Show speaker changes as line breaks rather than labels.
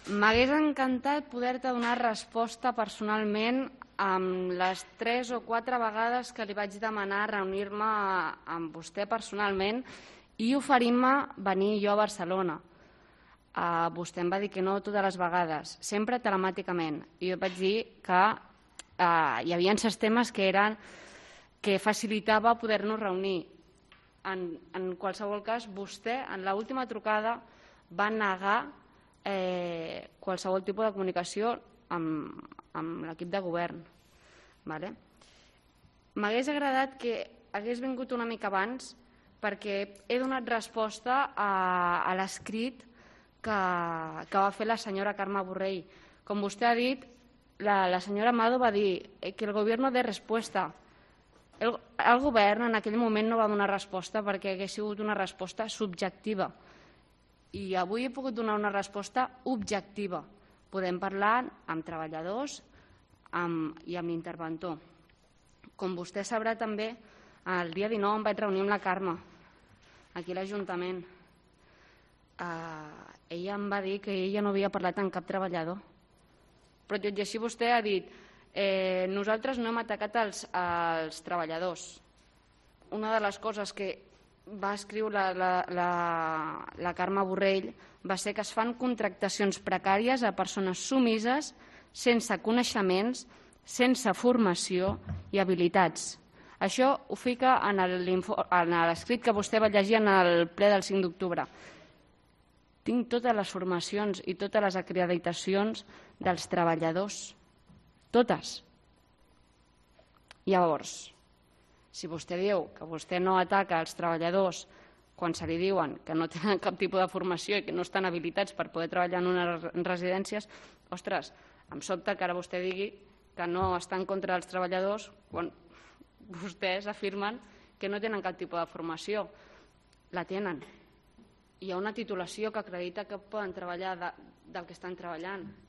M'hagués encantat poder-te donar resposta personalment amb les 3 o 4 vegades que li vaig demanar reunir-me amb vostè personalment i oferint-me venir jo a Barcelona. Vostè em va dir que no totes les vegades, sempre telemàticament. I jo vaig dir que hi havia certs temes que facilitava poder-nos reunir. En qualsevol cas, vostè en l'última trucada va negar qualsevol tipus de comunicació amb l'equip de govern. M'hagués agradat que hagués vingut una mica abans perquè he donat resposta a l'escrit que va fer la senyora Carme Borrell. Com vostè ha dit, la senyora Amado va dir que el govern dé resposta. El govern en aquell moment no va donar resposta perquè hagués sigut una resposta subjectiva. I avui he pogut donar una resposta objectiva. Podem parlar amb treballadors i amb l'interventor. Com vostè sabrà també, el dia 19 em vaig reunir amb la Carme, aquí a l'Ajuntament. Ella em va dir que ella no havia parlat amb cap treballador. Però tot i així vostè ha dit nosaltres no hem atacat els treballadors. Una de les coses que va escriure la Carme Borrell va ser que es fan contractacions precàries a persones submises, sense coneixements, sense formació i habilitats. Això ho fica en l'escrit que vostè va llegir en el ple del 5 d'octubre. Tinc totes les formacions i totes les acreditacions dels treballadors. Totes. Llavors, si vostè diu que vostè no ataca els treballadors quan se li diuen que no tenen cap tipus de formació i que no estan habilitats per poder treballar en unes residències, ostres, em sobta que ara vostè digui que no està en contra dels treballadors quan vostès afirmen que no tenen cap tipus de formació. La tenen. Hi ha una titulació que acredita que poden treballar del que estan treballant.